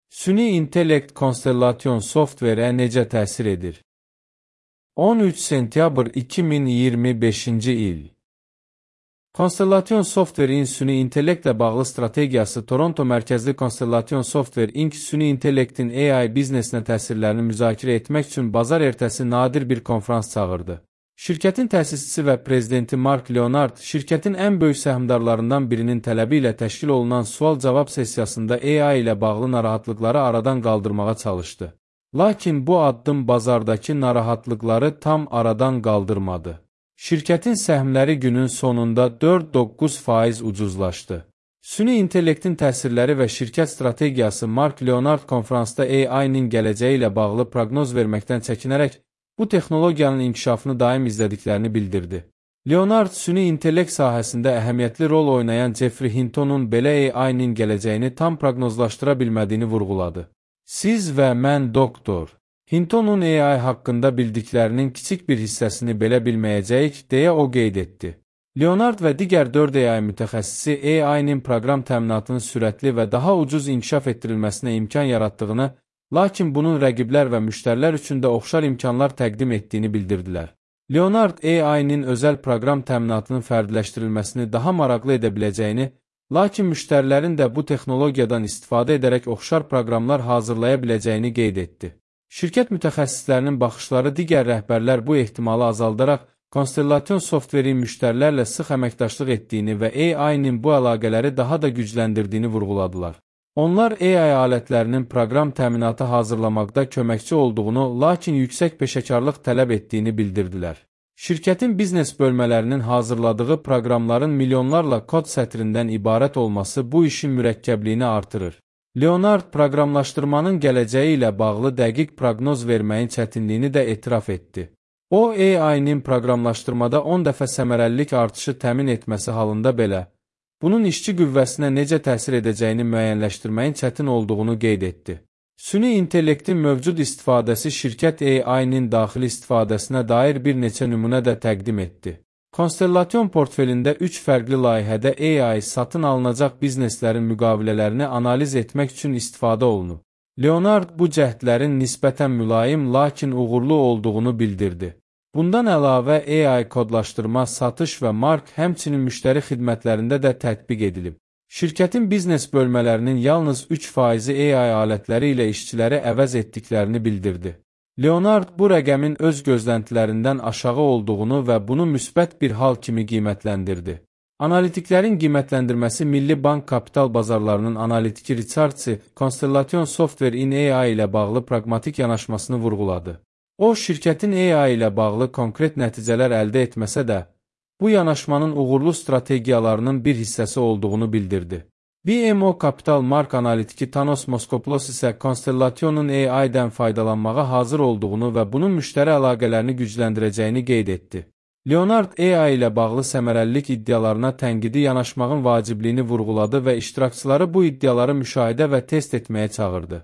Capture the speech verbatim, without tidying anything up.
Süni intellekt konstellasyon softverə necə təsir edir? on üç sentyabr iki min iyirmi beşinci il. Konstellasyon Software'in süni intellektlə bağlı strategiyası Toronto mərkəzli Konstellasyon Software incorporated süni intellektin A I biznesinə təsirlərini müzakirə etmək üçün bazar ertəsi nadir bir konferans çağırdı. Şirkətin təsisçisi və prezidenti Mark Leonard, şirkətin ən böyük səhmdarlarından birinin tələbi ilə təşkil olunan sual-cavab sessiyasında A I ilə bağlı narahatlıqları aradan qaldırmağa çalışdı. Lakin bu addım bazardakı narahatlıqları tam aradan qaldırmadı. Şirkətin səhmləri günün sonunda dörd doqquz faiz ucuzlaşdı. Süni intellektin təsirləri və şirkət strategiyası Mark Leonard konferansda A I-nin gələcəyi ilə bağlı proqnoz verməkdən çəkinərək, bu texnologiyanın inkişafını daim izlədiklərini bildirdi. Leonard, süni intellekt sahəsində əhəmiyyətli rol oynayan Jeffrey Hinton'un belə A I-nin gələcəyini tam proqnozlaşdıra bilmədiyini vurğuladı. Siz və mən doktor Hinton'un A I haqqında bildiklərinin kiçik bir hissəsini belə bilməyəcəyik, deyə o qeyd etdi. Leonard və digər dörd A I mütəxəssisi A I-nin proqram təminatının sürətli və daha ucuz inkişaf etdirilməsinə imkan yaratdığını, lakin bunun rəqiblər və müştərilər üçün də oxşar imkanlar təqdim etdiyini bildirdilər. Leonard A I-nin özəl proqram təminatının fərdləşdirilməsini daha maraqlı edə biləcəyini, lakin müştərilərin də bu texnologiyadan istifadə edərək oxşar proqramlar hazırlaya biləcəyini qeyd etdi. Şirkət mütəxəssislərinin baxışları digər rəhbərlər bu ehtimalı azaldaraq, Konstellasyon Software'in müştərilərlə sıx əməkdaşlıq etdiyini və A I-nin bu əlaqələri daha da gücləndirdiyini vurğuladılar. Onlar A I alətlərinin proqram təminatı hazırlamaqda köməkçi olduğunu, lakin yüksək peşəkarlıq tələb etdiyini bildirdilər. Şirkətin biznes bölmələrinin hazırladığı proqramların milyonlarla kod sətrindən ibarət olması bu işin mürəkkəbliyini artırır. Leonard proqramlaşdırmanın gələcəyi ilə bağlı dəqiq proqnoz verməyin çətinliyini də etiraf etdi. O, A I-nin proqramlaşdırmada on dəfə səmərəlilik artışı təmin etməsi halında belə, bunun işçi qüvvəsinə necə təsir edəcəyini müəyyənləşdirməyin çətin olduğunu qeyd etdi. Süni intellektin mövcud istifadəsi şirkət A I-nin daxili istifadəsinə dair bir neçə nümunə də təqdim etdi. Konstellasyon portfelində üç fərqli layihədə A I satın alınacaq bizneslərin müqavilələrini analiz etmək üçün istifadə olunub. Leonard bu cəhdlərin nisbətən mülayim, lakin uğurlu olduğunu bildirdi. Bundan əlavə A I kodlaşdırma, satış və mark, həmçinin müştəri xidmətlərində də tətbiq edilib. Şirkətin biznes bölmələrinin yalnız üç faizi A I alətləri ilə işçiləri əvəz etdiklərini bildirdi. Leonard bu rəqəmin öz gözləntilərindən aşağı olduğunu və bunu müsbət bir hal kimi qiymətləndirdi. Analitiklərin qiymətləndirməsi Milli Bank Kapital Bazarlarının analitiki Richardsi, Konstellasyon Software-in A I ilə bağlı praqmatik yanaşmasını vurğuladı. O, şirkətin A I ilə bağlı konkret nəticələr əldə etməsə də, bu yanaşmanın uğurlu strategiyalarının bir hissəsi olduğunu bildirdi. B M O Kapital Mark analitiki Thanos Moskopoulos isə Konstellasyonun A I-dən faydalanmağa hazır olduğunu və bunun müştəri əlaqələrini gücləndirəcəyini qeyd etdi. Leonard A I ilə bağlı səmərəlilik iddialarına tənqidi yanaşmağın vacibliyini vurğuladı və iştirakçıları bu iddiaları müşahidə və test etməyə çağırdı.